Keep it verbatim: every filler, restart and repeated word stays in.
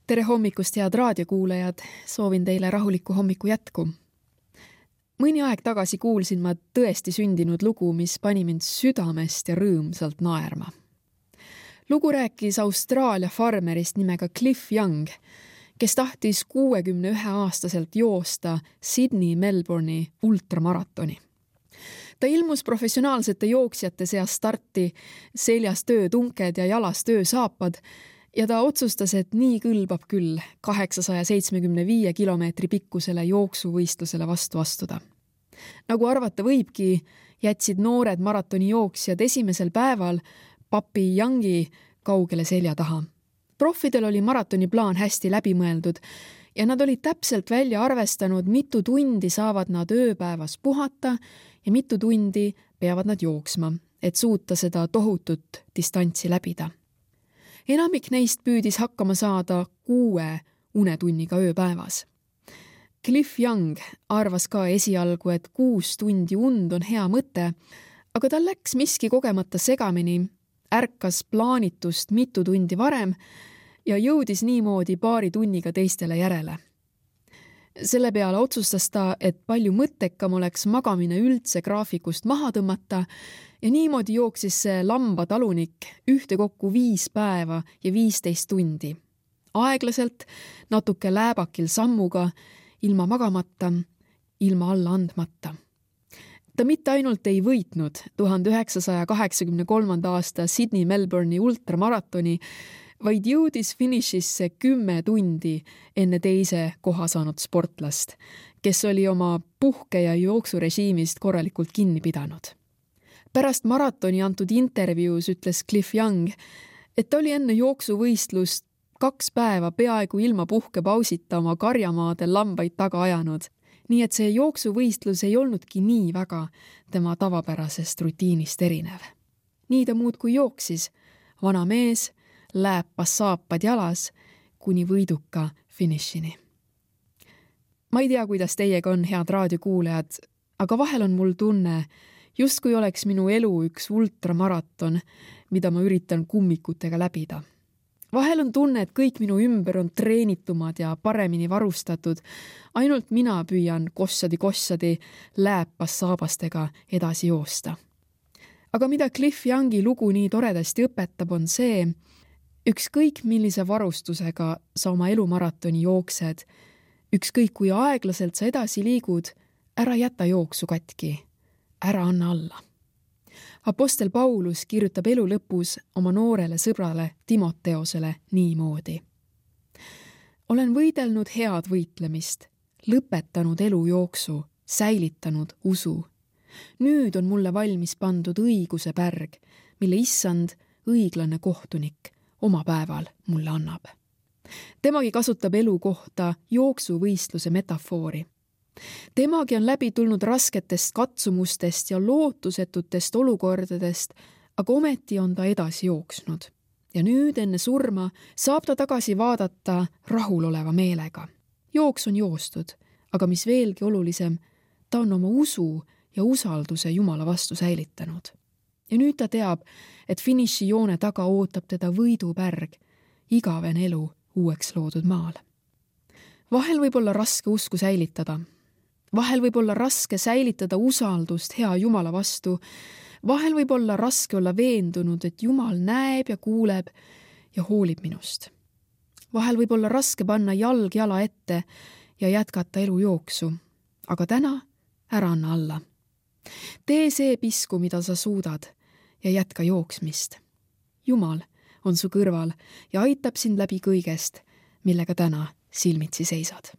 Tere hommikust, head raadiokuulajad, soovin teile rahulikku hommiku jätku. Mõni aeg tagasi kuulsin ma tõesti sündinud lugu, mis pani mind südamest ja rõõmsalt naerma. Lugu rääkis Austraalia farmerist nimega Cliff Young, kes tahtis kuuekümne ühe aastaselt joosta Sydney Melbourne'i ultramaratoni. Ta ilmus professionaalsete jooksjate seas starti, seljas töötunked ja jalas töösaapad, ja ta otsustas, et nii kõlbab küll kaheksasaja seitsmekümne viie kilomeetri pikkusele jooksuvõistlusele vastu astuda. Nagu arvata võibki, jätsid noored maratoni jooksjad esimesel päeval papi Youngi kaugele selja taha. Profidel oli maratoni plaan hästi läbimõeldud ja nad olid täpselt välja arvestanud, mitu tundi saavad nad ööpäevas puhata ja mitu tundi peavad nad jooksma, et suuta seda tohutut distantsi läbida. Enamik neist püüdis hakkama saada kuue unetunniga ööpäevas. Cliff Young arvas ka esialgu, et kuus tundi und on hea mõte, aga tal läks miski kogemata segamini, ärkas plaanitust mitu tundi varem ja jõudis niimoodi paari tunniga teistele järele. Selle peale otsustas ta, et palju mõttekam oleks magamine üldse graafikust maha tõmmata ja niimoodi jooksis see lambatalunik ühtekokku viis päeva ja viisteist tundi. Aeglaselt, natuke lääbakil sammuga, ilma magamata, ilma alla andmata. Ta mitte ainult ei võitnud tuhande üheksasaja kaheksakümne kolmanda aasta Sydney Melbourne'i ultramaratoni, vaid jõudis finišisse kümme tundi enne teise koha saanud sportlast, kes oli oma puhke- ja jooksurežiimist korralikult kinni pidanud. Pärast maratoni antud intervjuus ütles Cliff Young, et ta oli enne jooksuvõistlust kaks päeva peaaegu ilma puhkepausita oma karjamaadel lambaid taga ajanud, nii et see jooksuvõistlus ei olnudki nii väga tema tavapärasest rutiinist erinev. Nii ta muudkui jooksis, vana mees, lääpas saapad jalas kuni võiduka finišini. Ma ei tea, kuidas teiega on, head raadiokuulajad, aga vahel on mul tunne, justkui oleks minu elu üks ultramaraton, mida ma üritan kummikutega läbida. Vahel on tunne, et kõik minu ümber on treenitumad ja paremini varustatud, ainult mina püüan kossadi-kossadi lääpas saabastega edasi joosta. Aga mida Cliff Youngi lugu nii toredasti õpetab, on see, ükskõik millise varustusega sa oma elumaratoni jooksed, ükskõik kui aeglaselt sa edasi liigud, ära jäta jooksu katki, ära anna alla. Apostel Paulus kirjutab elu lõpus oma noorele sõbrale Timoteosele niimoodi. Olen võidelnud head võitlemist, lõpetanud elu jooksu, säilitanud usu. Nüüd on mulle valmis pandud õiguse pärg, mille issand, õiglane kohtunik, oma päeval mulle annab. Temagi kasutab elu kohta jooksuvõistluse metafoori. Temagi on läbi tulnud rasketest katsumustest ja lootusetutest olukordadest, aga ometi on ta edasi jooksnud. Ja nüüd enne surma saab ta tagasi vaadata rahuloleva meelega. Jooks on joostud, aga mis veelgi olulisem, ta on oma usu ja usalduse Jumala vastu säilitanud. Ja nüüd ta teab, et finišijoone taga ootab teda võidupärg, igaven elu uueks loodud maal. Vahel võib olla raske usku säilitada. Vahel võib olla raske säilitada usaldust hea Jumala vastu. Vahel võib olla raske olla veendunud, et Jumal näeb ja kuuleb ja hoolib minust. Vahel võib olla raske panna jalg jala ette ja jätkata elu jooksu. Aga täna ära anna alla. Tee see pisku, mida sa suudad ja jätka jooksmist. Jumal on su kõrval ja aitab sind läbi kõigest, millega täna silmitsi seisad.